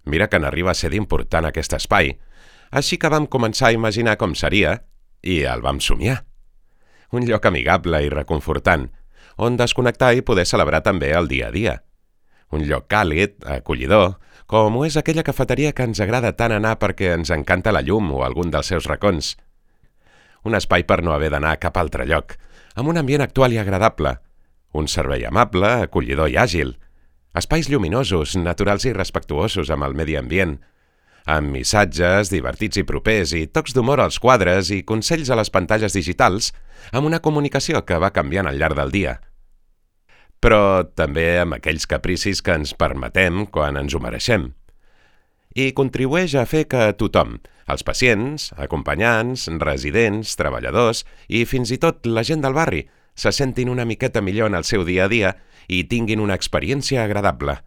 Mira que n'arriba a ser d'important aquest espai, així que vam començar a imaginar com seria i el vam somiar. Un lloc amigable i reconfortant, on desconnectar i poder celebrar també el dia a dia. Un lloc càlid, acollidor, com ho és aquella cafeteria que ens agrada tant anar perquè ens encanta la llum o algun dels seus racons. Un espai per no haver d'anar a cap altre lloc, amb un ambient actual i agradable, un servei amable, acollidor i àgil, espais lluminosos, naturals i respectuosos amb el medi ambient, amb missatges divertits i propers i tocs d'humor als quadres i consells a les pantalles digitals, amb una comunicació que va canviant al llarg del dia. Però també amb aquells capricis que ens permetem quan ens ho mereixem. I contribueix a fer que tothom, els pacients, acompanyants, residents, treballadors i fins i tot la gent del barri, se sentin una miqueta millor en el seu dia a dia i tinguin una experiència agradable.